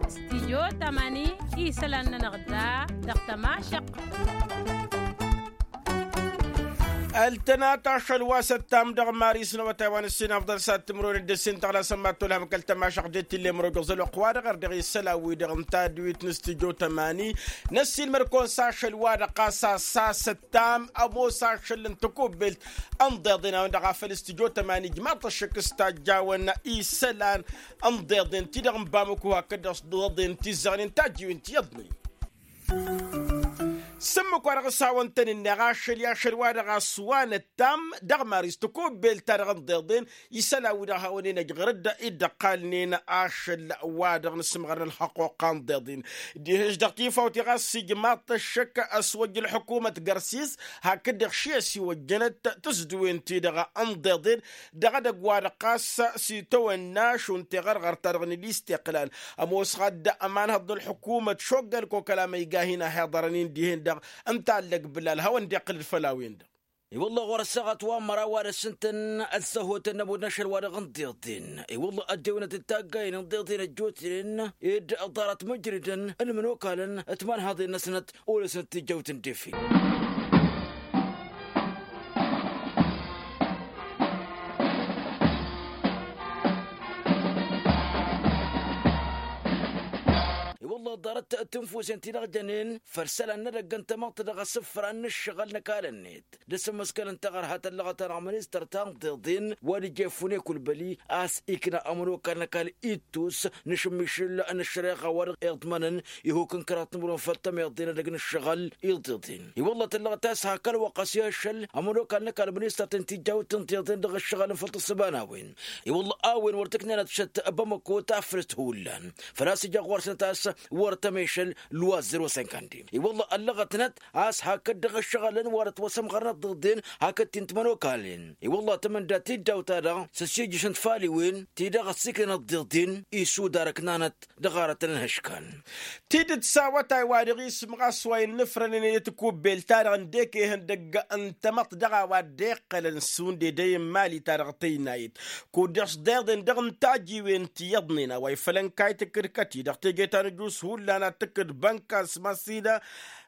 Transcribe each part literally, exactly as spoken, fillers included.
Stijyo tămani isălan-nănăɣ da dăɣ-tămašăq. Ăltănat ašăl wa s-ăttam dăɣ-maris n-awătay wa n-ǝssin afḍăl s-ad-tǝmrăwen d-ǝssin tăɣlasăn mad-tolhăm kăl-tămašăq d-e t-ille mărojăẓ ălwăqq-wa-dăɣ ărdăɣ isălan-wi-dăɣ n-tadwit n-stijyo tămani. Năssiilmăd-kăwăn s-ašăl-wa-dăɣ ɣas a-s a-s ăttam ămoos ašăl n-tăkobbelt ănḍeḍen a-wen-dăɣ a făl stijyo tămani ǝjmaḍ-t ăššăk s-tajjawăn isălan ănḍeḍen-ti-dăɣ n-bamăko hakd-dăɣ s-ḍeḍen tizzăɣnen tajjiwen ti iyyăḍnen. S-ǝmmǝk-wa-dăɣ s-hawăn-tăn-ǝnneɣ ašăl i-ašăl-wa-dăɣ a-s wa năttam dăɣ-maris tăkobbelt-ta-dăɣ ănḍeḍen isălan-wi-dăɣ hawăn-in-ăjɣăr-dd dd-ăqqalnen ašăl-wa-dăɣ n-asǝmɣăr n-ălxăqquqa ǝnḍeḍen. Diha-š dăɣ-tifawt-i ɣas ijmaḍ-t ăššăk ăswăjj ălḥukumăt gărsis hakd-dăɣ ši ăsiwăjjănăt tǝzdǝwen-ti-dăɣ ănḍeḍen dăɣ-edăgg-wa-dăɣ ɣas s-itawănna šund teɣărɣărt-ta-dăɣ n-ilisteqlal ămoos ɣad ămanhăḍ n-ălḥukumăt šoggăn kokăla ma iga hin-ahiḍărăn-in dihen-dăɣ ǝnta allăg bǝlal hawăn-dd-iqqǝl-dd făll-a-wen-dăɣ. I-wălla ɣur-ăssaɣăt wa n-măraw wa dăr-s ǝntăn ăssăhotăn n-ămudd n-ašăl-wa-dăɣ ǝnḍeḍen. I-wălla ăddewănăt d-taggayen ǝnḍeḍen ăjjootnen ed ḍarăt măjrǝdăn ălmănokalăn timanhaḍen-năsnăt olăsnăt tijjăwt n-defe. I-wălla ḍarăt tǝnfusen ti-dăɣ jănen făll-isălan n-edăgg n-tamăḍt dăɣ-asǝfra n-ǝššăɣǝl n-ăkall-net d-asǝmmǝskăl n-taɣărha tăllăɣăt-anăɣ ministăr ta n-tiḍeḍen wa d-ija efune kulbăli a-s ikna ămănokal n-ăkall ittus n-ašǝmmišǝl n-ăššăreɣa wa dăɣ-iḍmănăn ihuk n-kăraḍ timǝrwen făll-tămiḍe n-edăgg n-ǝššăɣǝl iḍeḍen. I-wălla tăllăɣăt a-s hak ălwăqq a-s i-ašăl ămănokal n-ăkall ministăr-ten tijawt n-tiḍeḍen dăɣ-ǝššăɣǝl n-făll-tǝssǝba n-a-wen. I-wălla a-wen wăr t-ǝknenăt šăt bamăko tafrǝst hullan făl-a-s ija ɣur-săn ta s-wăr tămešăl luwa zero sinkandi. I-wălla ăllăɣătnăt a-s hakd dăɣ-ǝššăɣǝlăn wa dăɣ-t wăr-sămɣărnăt tiḍeḍen hakd ti n-timănokalen. I-wălla tămănda tiddawt-ta-dăɣ s-ăssiijjǝšăn tfaliwen ti-dăɣ ăssiiknănăt tiḍeḍen isudar ǝknanăt dăɣ-arătăn n-ihǝškan. Tidǝt s-awătay wa dăɣ-isǝm ɣas wa innǝfrănăn i-tikubbelt-ta-dăɣ ǝndek ihăndăgg n-tamăḍt dăɣ-a-wa dd-iqqălăn šund edăy n-imali-ta-dăɣ tăynayăt kud-dăɣ s-deḍen dăɣ-intajiwen ti iyyăḍnen a-wa ifăl ănkayt ǝkkǝd kăti-dăɣ teje ta n-ǝjus hullan ad-tǝkkǝd bănka s-măssină.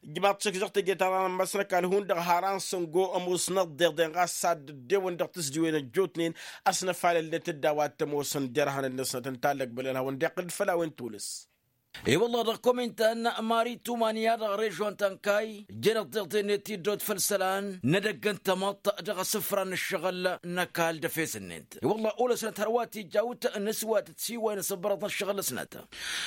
Ǝjmaḍ-t šăkk dăɣ-teje ta n-anămmas n-ăkall hundăɣ haran săngo ămoos n-ăḍḍeḍen ɣas ad-dd-ewăn dăɣ-tǝzdiwen ăjjootnen ăsnăfalălnet-dd a-wa t-ămoosăn derhanăn-năsnăt ǝnta a ăllăgbălăn hawăn-dd-iqqǝl-dd făll-a-wen tulǝs. I-wălla dăɣ-komintan mari tumanya dăɣ-režon ta n-kay jăn ăḍḍeḍen-net iddot făll-isălan n-edăgg n-tamăḍt dăɣ-asǝfra n-ǝššăɣǝl n-ăkall d-efes-net. I-wălla olăsnăt hărwa tijawt n-asǝwatăt s-iwayăn asǝbbărăḍ n-ǝššăɣǝl-năsnăt.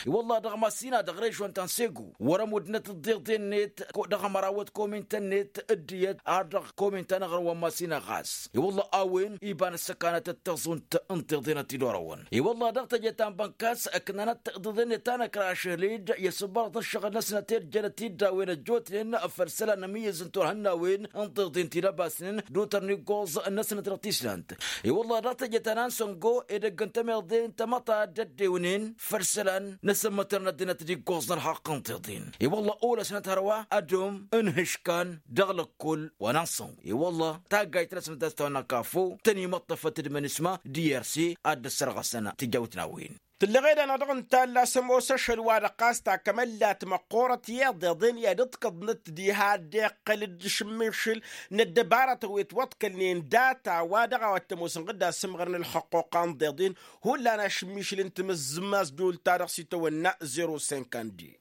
I-wălla dăɣ-massina dăɣ-režon ta n-segu wăr-ămuddnăt ǝḍḍeḍen-net dăɣ-ămărawăt komintan-net dd-iyyăt ar dăɣ-komintan aɣrǝm wa n-massina ɣas. I-wălla a-wen iba n-ăssăkanăt d-taẓunt n-tiḍeḍen ad-t-dd-orăwăn. I-wălla dăɣ-teje ta n-bănkas ǝknanăt tiḍeḍen-net ta n-ăkrašăl-dd i-asǝbbărăḍ n-ǝššăɣǝl-năsnăt ed jănăt-dd a-wen ăjjootnen făll-isălan n-amǝyyǝz n-turhǝnnawen n-tiḍeḍen ti n-ăbasnen d-utărn iggoẓ-năsnăt dăɣ-tislant. I-wălla dăɣ-teje ta n-ansăngo edăgg n-tămiḍe n-tamăḍt a dd-ăddewnen făll-isălan n-asǝmmătăr n-ăddinăt d-iggoẓ n-ălxaqq n-tiḍen. I-wălla olăsnăt hărwa ădom n-ihǝškan dăɣ-lăkkol wa n-ansăngo. I-wălla taggayt-năsnăt a-s tawănna kafo tăn-imăṭṭăfăt d-imănisma d-iyyăr s-e ad-dd-ăssărɣăsăn tijawt n-a-wen. Tǝlleɣ ed-anăɣ dăɣ-nǝtalla a-s ămoos ašăl-wa-dăɣ ɣas takămăllat măqqoorăt i-iḍeḍen i-ad-ǝḍkăḍnăt diha a dd-iqqăl d-ašǝmmišǝl n-ăddăbara tăwwet wăḍkălnen data-wa-dăɣ a-wa t-ămoos ǝnɣǝd asǝmɣăr n-ălxăqquqa n-iḍeḍen hullan ašǝmmišǝl n-timǝzzǝm asdul-ta-dăɣ s-itawănna zero sinkandi.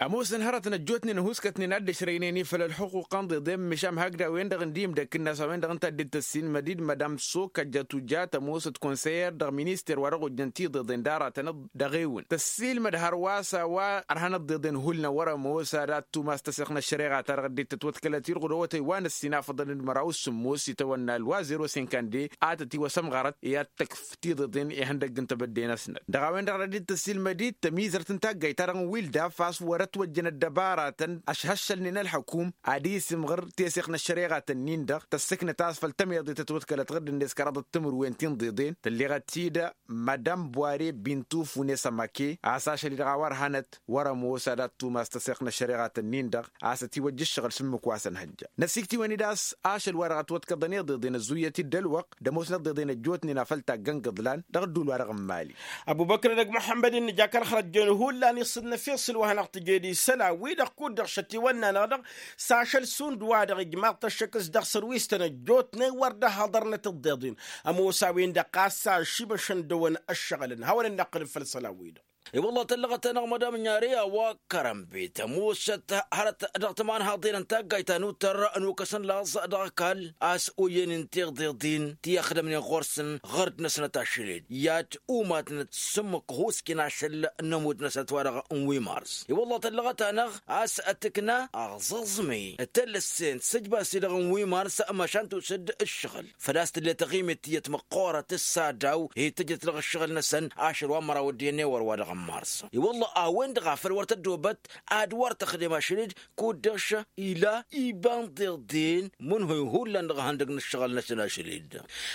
Ămoosăn hărătăn ăjjootnen ăhuuskătnen ad-dd-ăšrăynen i-făll-ălxuquqa n-iḍeḍen măšan hakd a-wen-dăɣ ǝndimdăkk-net a-wen-dăɣ ǝnta a dd-tăssiilmăd-dd madam soka jatuja tămoosăt konseyer dăɣ-minister wa dăɣ-ojjăn tiḍeḍen d-aratăn dăɣ-ewǝn tăssiilmăd hărwa s-a-wa ărhan ăḍḍeḍen hullan wăr-ămoos ad-ad-tumas tăseɣt n-ăššăreɣa-ta-dăɣ dd-tătwăḍkălăt irɣud awătay wa n-ǝssin afăḍăn d-măraw s-sǝmmos itawănna ălwa zero sinkande a tătiwăsămɣărăt i-ad-tăkf tiḍeḍen ihăndăgg n-tebădde-năsnăt dăɣ-a-wen-dăɣ a dd-tăssiilmăd-dd tămizărt n-taggayt-ta-dăɣ n-wildaf a-s wărăt ătwăjjăn ăddăbaratăn ăšhăššălnen ălḥăkum ad-isǝmɣǝr teseɣt n-ăššăreɣa-tăn-in-dăɣ tăssǝknăt a-s făll-tămeḍe tătwăḍkălăt ɣǝrd-net kăraḍăt timǝrwen ti n-iḍeḍen tǝlleɣăt ti-dăɣ. Madam bware bintuf unes ămake a-s ašăl-i-dăɣ a wăr hanăt wăr-ămoos ad-ad-tumas tăseɣt n-ăššăreɣa-tăn-in-dăɣ a-s ătiwăjja ǝššăɣǝl s-ǝmmǝk wa s-ănhăjja. Năsiktǝwăn-dd a-s ašăl-wa-dăɣ ătwăḍkăḍăn iḍeḍen ăzzuyyăt-dd ălwăqq d-ămoosnăt d-iḍeḍen ăjjootnen afăl taggăn gǝḍlan dăɣ-ădduul-wa-dăɣ n-imali. Ăbubăkr dăgg muḥămmăd-in nǝja kăl-xărăt jen hullan iṣǝnnăf iṣǝl wa hanăɣ-tǝjed isălan-wi-dăɣ kud-dăɣ šătiwănna-năɣ-dăɣ s-ašăl šund wa-dăɣ ijmaḍ-t ăššăk s-dăɣ sărwistăn ăjjootnen wăr dd-ăhhăḍărnăt dd-iḍen. Ămoos a-wen-dăɣ ɣas ašibăšăn dăwăn ǝššăɣǝlăn hawăn-dd-năqqǝlǝb făll-isălan-wi-dăɣ. I-wălla tăllăɣăt-anăɣ madam n-yari a-wa kărănbet ămoosăt hărăt dăɣ-timanhaḍen n-taggayt ta n-uttăr n-ukăs n-laẓ dăɣ-ăkall a-s oyyăn-in tiḍeḍin ti ăxdămnen ɣur-săn ɣărd-năsnăt ašăl-dd i-ad-umatnăt s-ǝmmǝk ăhusken ašăl n-ămudd-năsnăt wa-dăɣ n-wi mars. I-wălla tăllăɣăt-anăɣ a-s tǝkna aẓǝẓmi d-tălǝssen d-sǝjbas-ti-dăɣ n-wi mars măšan tusǝd ǝššăɣǝl făl-a-s tǝllet taɣimet tiyyăt măqqoorăt s-adaw hi-tǝjjăt dăɣ-ǝššăɣǝl-năsăn ašăl wa n-măraw d-iyyăn i-wăr wa dăɣ-n mars. I-wălla a-wen-dăɣ a făl wăr tăddobăt ad-wăr tăxdem ašăl-dd kud-dăɣ š-ila iba n-tiḍeḍen mǝnhăy hullan dăɣ-ihăndăg n-ǝššăɣǝl-năsăn ašăl-dd.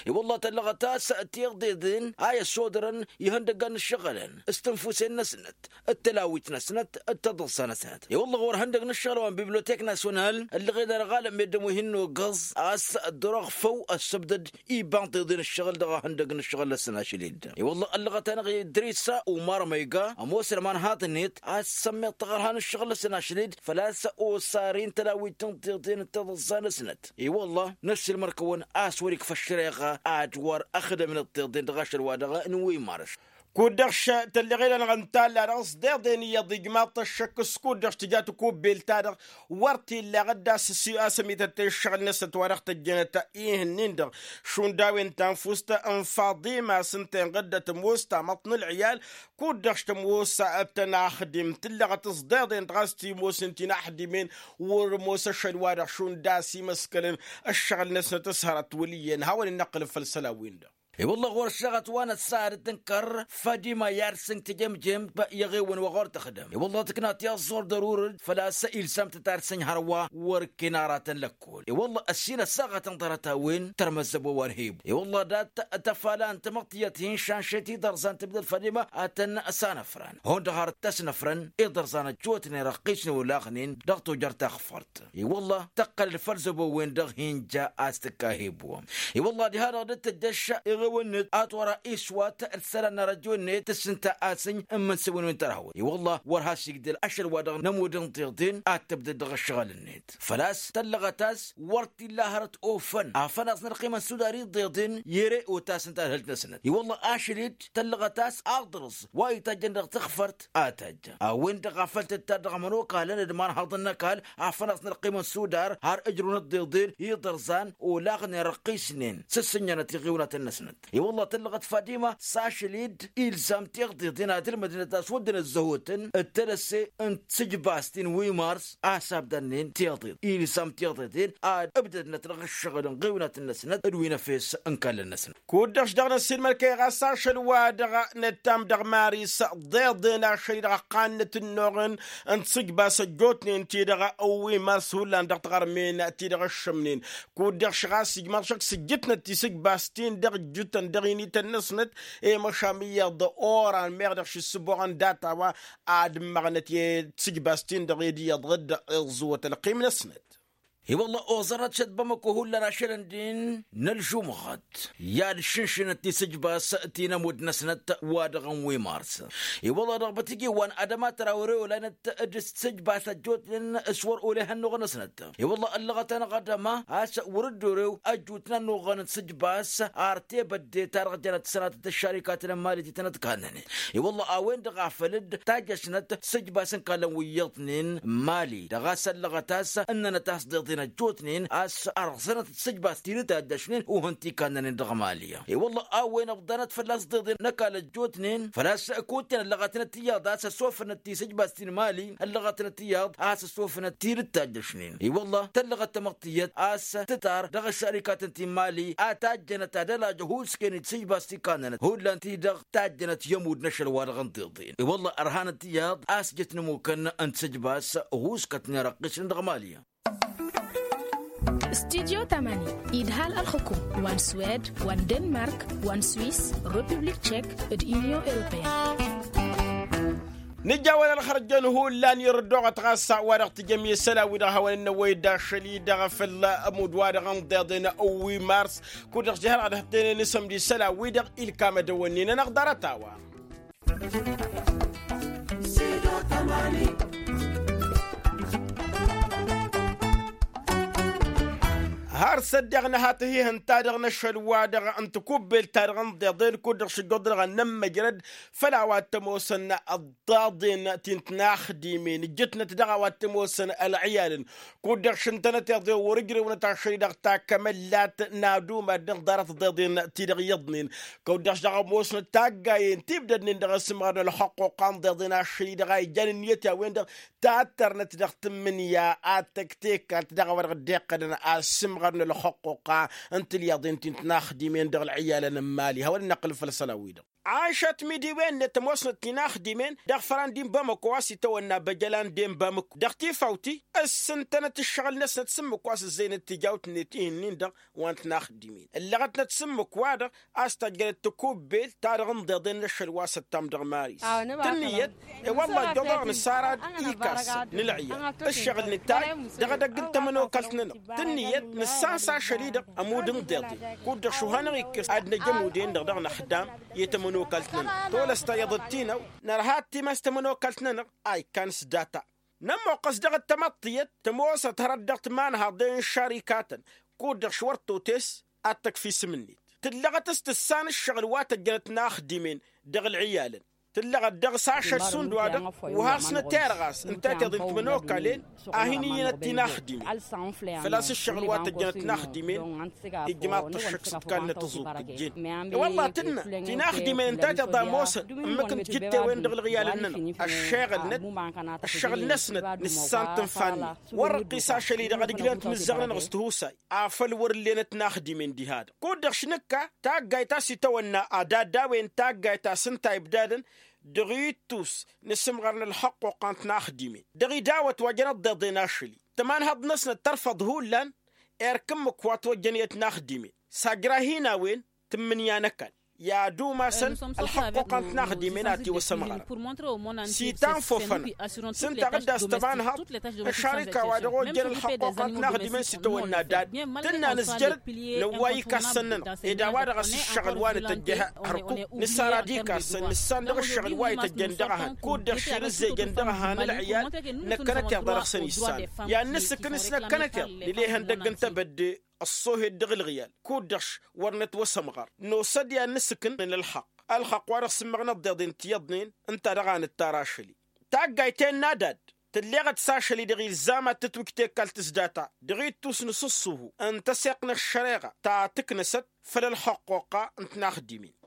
I-wălla tăllăɣăt a-s tiḍeḍen a i-ăssodărăn ihăndăggan n-ǝššăɣǝlăn s-tinfusen-năsnăt d-tălawit-năsnăt d-taḍǝssa-năsnăt. I-wălla ɣur-ihăndăg n-ǝššăɣǝl wa n-bibliotek nasyonal ǝllăɣen-anăɣ alămmed d-ămuhin n-ogăẓ a-s dd-orăɣfăw ăssăbdăd iba n-tiḍeḍen ǝššăɣǝl dăɣ-ihăndăg n-ǝššăɣǝl-năsăn ašăl-dd. I-wălla ăllăɣăt-anăɣ idris umar măyga ămoos ălmanhaḍ-net a-s sămmeḍ taɣărha n-ǝššăɣǝl-năsăn ašăl-dd făl-a-s osar-in tălawit n-tiḍeḍen d-taḍǝssa-năsnăt. I-wălla năssiilmăr-kăwăn a-s wăr-ikfa ăššăreɣa ad-wăr ăxdămnăt tiḍeḍen dăɣ-ašăl-wa-dăɣ n-wi mars. Kud-dăɣ tălleɣel-anăɣ n-talla-dăɣ s-deḍen iyyăḍ ijmaḍ-t ăššăk s-kud-dăɣ tǝja takubbelt-ta-dăɣ wăr t-illa ɣǝdda s-ăsǝmităt i-ǝššăɣǝl-năsnăt wa dăɣ-tăjjănăt. Ihǝnnin-dăɣ šund a-wen tanfust n-faḍima s-ǝnta inɣǝddăt ămoos tamăḍt n-ǝlɣiyal kud-dăɣ tămoos tăn-axdim tǝllăɣăt s-deḍen dăɣ-a-s timosen ti n-axdimen. Wăr-ămoos ašăl-wa-dăɣ šund a-s imăskălăn ǝššăɣǝl-năsnăt s-hărăt wăl' iyyăn hawăn-in-năqqǝlăb făll-isălan-win-dăɣ. I-wălla ɣur-ăššăɣăt wa năssarăt tǝnkăr fadima i-ad-sǝnk tijămjămt i-eɣewăn wa ɣur-tăxdăm i-wălla tǝkna tiẓẓur dărurăd făl-a-s ilsam-tăt ad-sǝnj hărwa wăr-ǝkken aratăn lăkkol. I-wălla ăssin ăssaɣătăn ḍarăt-a-wen tărmăzzăbo wa n-hibbu i-wălla dat-tăfala n-tamăḍt tiyyăt hin-šanšăy ti ḍărzan tǝbdăd fadima ad-tăn-sanăfran hundăɣ har t-ăsnăfrăn iḍărzan ăjjootnen răqqisnen olaɣnen dăɣ-tojăr taxfărt. I-wălla tăqqălăd făll-zăbo-wen-dăɣ hin-ja a-s tǝkka hibbu. I-wălla diha-dăɣ dd-tăjjăš eɣewăn-net a-s wăr-a iswat d-isălan n-arăjo-net tǝssǝnta a-s ǝnj n-imǝnsǝwăn wi n-tărhăwăt i-wălla wăr has-igdăl ašăl-wa-dăɣ n-ămudd n-tiḍen ad-tǝbdăd dăɣ-ǝššăɣǝl-net. Făl-a-s tăllăɣăt a-s wăr t-illa hărăt ofăn afănaẓ n-ălqima n-sudar iḍeḍen i-ere otasăn tadhǝlt-năsnăt i-wălla ašăl-dd tăllăɣăt a-s aḍrǝẓ wa itajjăn dăɣ-taxfărt a tajja a-wen-dăɣ a făl tǝttad dăɣ-imănokalăn d-imanhaḍăn n-ăkall afănaẓ n-ălqima n-sudar har ǝjrǝwăn ǝḍḍeḍen iḍărzan olaɣnen răqqisnen s-ǝssǝnjănăt iɣiwnatăn-năsnăt. I-wălla tăllăɣăt fadima s-ašăl-dd ilzam tiḍeḍen ad-ǝlmădnăt a-s wădden ăzzăhotăn d-tadăsse n-tisǝjbast ti n-wi mars a-s abdănnen tiḍeḍen ilzam tiḍeḍen ad-ǝbdădnăt dăɣ-ǝššăɣǝl n-iɣiwnatăn-năsnăt d-wi n-efes n-kallăn-năsnăt. Kud-dăɣ-š dăɣ-năssiilmăr-kăy ɣas ašăl-wa-dăɣ nǝttam dăɣ-maris ḍeḍen ašăl-i-dăɣ ăqqannăt ǝnnuɣăn n-tisǝjbas ăjjootnen-ti-dăɣ wi mars hullan dăɣ-tiɣărmen ti-dăɣ ǝššǝmnen. Kud-dăɣ š-ɣas ijmaḍ šăkk s-ǝjjǝtnăt tisǝjbas-tin-dăɣ ǝjjǝtăn dăɣ-inităn-năsnăt i-măšan iyyăḍ oran meɣ dăɣ-š ǝssǝboɣăn data-wa ad-ǝmmăɣnăt i-tisǝjbas-tin-dăɣ ed iyyăḍ dd-iẓẓǝwăt ălqim-năsnăt. I-wălla oẓărăt šăt bamăko hullan ašăl ǝndin n-ălžumɣăt i-ad-ǝššǝnšǝnăt tisǝjbas ti n-ămudd-năsnăt wa dăɣ-n wi mars. I-wălla dăɣ-bătǝjewwan ad-ămatăr a wăr-e olanăt d-tisǝjbas ăjjootnen s-wăr ole hănnuɣ-năsnăt. I-wălla ăllăɣăt-anăɣ ad-ăma a-s wăr-dd-orew ăjjut n-ănnuɣăn n-tisǝjbas ar tebădde ta dăɣ-jănăt sănatăt ăššarikatăn n-mali ti tănăt-kannănen. I-wălla a-wen-dăɣ a făl-dd tajjăšnăt tisǝjbas n-kallăn wi iyyăḍnen n-mali dăɣ-a-s ăllăɣăt a-s ǝnnănăt a-s deḍen. ăjjootnen a-s ărẓănăt d-sǝjbas ti n-tajjăšnen uhǝn ti kannănen dăɣ-mali. I-wălla a-wen ăbḍanăt fălla-s ḍeḍen n-ăkall ăjjootnen făl-a-s kutten ăllăɣătnăt iyyăḍ a-s ăsofănăt ti sǝjbas ti n-mali ăllăɣătnăt iyyăḍ a-s ăsofănăt ti n-tajjăšnen. I-wălla tăllăɣăt tamăḍt tiyyăt a-s tǝtar dăɣ-ăššărikatăn ti n-mali a tajjănăt ad-ălajă ăhuusken d-sǝjbas ti kannănăt hullan-ti-dăɣ tajjănăt i-ămudd n-ašăl-wa-dăɣ n-tiḍen. I-wălla ărhanăt iyyăḍ a-s jăt n-ămukăn n-sǝjbas ăhuuskătnen răqqisnen dăɣ-mali. Studyo tamani idhal ălxukum wa n-swed wa n-denmark wa n-swiss, republik tchek, d-union europeen. Nǝjawăl ălxărjăn hullan irǝddoɣăt ɣas wa-dăɣ tǝjăm i-isălan-wi-dăɣ hawăn-ănnăwăy d-ašăl-i-dăɣ făll-ămudd-wa-dăɣ n-tiḍen wi mars. Kud-dăɣ jihălɣăd hăttăynen s-ămd isălan-wi-dăɣ ilkam ad-ăwănnin-anăɣ ḍarăt-a-wa. Har s-ăddeɣ nǝha tihihǝn-ta-dăɣ n-ašăl-wa-dăɣ n-tikubbelt-ta-dăɣ n-iḍeḍen kud-dăɣ šǝjjăḍ-dăɣ ad-nămmăjrăd făll-a-wa t-ămoosăn ăḍḍaḍen ti n-tinaxdimen ǝjjǝtnăt dăɣ-a-wa t-ămoosăn ălɣiyalăn. Kud-dăɣ šǝntănăt iḍeḍen wăr-ǝjrewnăt ašăl-i-dăɣ takămăllat n-ad-umad dăɣ-ḍarăt ḍeḍen-ti-dăɣ iyyăḍnen. Kăw-dăɣ s-dăɣ ămoosnăt taggayen ti ǝbdădnen dăɣ-asǝmɣărăn ălxăqquqa n-ḍeḍen ašăl-i-dăɣ a ijan ǝnniyăt i-a-wen-dăɣ tattărnăt dăɣ-tǝmmǝnǝya ad-tăj tekalt dăɣ-a-wa dăɣ-dd-iqqădăn asǝmɣărăn ălxăqquqa n-tilyaḍen ti n-tinaxdimen dăɣ-ălɣiyalăn n-imali hawăn-ănnăqqǝl făll-isălan-wi-dăɣ. Ašăt mi d-iwen-net ămoosnăt tinaxdimen dăɣ-ifăran di n-bamăko a-s itawănna băjălan de n-bamăko dăɣ-tifawt-i ǝssǝntănăt ǝššăɣǝl-năsnăt s-ǝmmǝk wa s-ǝzzăynăt tijawt-net ih'-ǝnnin-dăɣ wa n-tinaxdimen ǝllăɣătnăt s-ǝmmǝk wa-dăɣ a-s tăjjănăt tikubbelt ta dăɣ-ǝnḍeḍen n-ašăl wa s-ăttam dăɣ-maris. Tǝnnǝyăt i-wălla ăjjoḍăɣ nǝsarad ikassăn n-ǝlɣiyăt ǝššăɣǝl nǝtay dăɣ-edăgg n-tamănokalt-nănăɣ. Tǝnnǝyăt nǝssan s-ašăl-i-dăɣ ămudd n-iḍeḍen kud-dăɣ šuhanăɣ-ikkǝs ad-năj ămud-en-dăɣ dăɣ-năxdam i-tamănokalt-nănăɣ. Tolăs ta iyyăḍ d-ti-năw nărha ad-timas tamănokalt-nănăɣ a ikkan s-data. Nămmoqqăs dăɣ-dd-tamăḍt tiyyăt tămoosăt hărăt dăɣ-timanhaḍen n-išarikatăn kud-dăɣ š-wăr totes ad-tăkf isǝm-net. Tǝllăɣăt s-tǝssan ǝššăɣǝl wa tăjjănăt tinaxdimen dăɣ-ălɣiyalăn. Tǝllăɣăt dăɣ-s ašăl šund wa-dăɣ wa hasnăt erɣas ǝnta tiḍen timănokalen a hin-iyyănăt tinaxdimen. Făl-a-s ǝššăɣǝl wa tăjjănăt tinaxdimen ijmaḍ-t ǝššǝk s-ǝkall n-atǝẓẓubt ǝjjen. I-wălla tǝnnă tinaxdimen ǝnta tiḍa ămoosăn ǝmmǝk n-tijǝtte-wen dăɣ-ălɣiyalăn-nănăɣ ăššeɣălnăt ăššăɣǝl-năsnăt nǝssan tǝnfa-net. Wăr-ăqqis ašăl-i-dăɣ ad-ǝjrănăt imǝzzăɣ-nănăɣ s-tihusay afăl wăr-ǝllenăt tinaxdimen diha-dăɣ. Kud-dăɣ šinǝkka taggayt a-s itawănna ad-add'-a-wen taggayt a-s ǝnta ibdadăn dăɣ-ittus n-asǝmɣar n-ălxăqquqa n-tinaxdimen dăɣ-idawăt wa jăn ăḍḍeḍen ašăl-i tămanhăḍt-năsnăt tărfăḍ hullan. Erk ǝmmǝk wa ătwăjjăn i-tinaxdimen s-ajra hin-a-wen tǝmmǝnǝya n-ăkall i-ad-umasăn ălxăqquqa n-tinaxdimen a tiwăsămɣărăn. S-itanfofănăɣ s-ǝnta ɣǝdda s-tămanhăḍt n-ašarika wa dăɣ-ojjăn ălxăqquqa n-tinaxdimen s-itawănna dad tǝnna nǝzjăr-dd năwway ikassăn-nănăɣ ed a-wa-dăɣ a-s ǝššăɣǝl wa nǝtăjjăh hărkuk nǝsarad ikassăn nǝssan dăɣ-ǝššăɣǝl wa ităjjăn dăɣ-ehăn kud-dăɣ širǝzzejăn dăɣ-ehăn ălɣiyal. Năkkănăt iḍa dăɣ-săn issan i-ad-nǝsǝkǝn s-năkkănăt iḍa nǝla ihăndăgg n-tebădde ăṣṣohed dăɣ-ǝlɣiyal kud-dăɣ š-wăr nătwăsămɣăr. Nosă-dd i-ad-nǝsǝkǝn ălxăqq ălxăqq wa dăɣ-sǝmmăɣ n-ăḍḍeḍen tiyyăḍnen ǝnta dăɣ-a nǝttar ašăl-i. Taggayt tennă ad-add tǝlleɣăt s-ašăl-i-dăɣ ilzam ad-tǝtwǝj tekalt s-data dăɣ-ittus n-asǝṣṣuhu n-tăseɣt n-ăššăreɣa ta tǝknăsăt făll-ălxăqqoqqa n-tinaxdimen.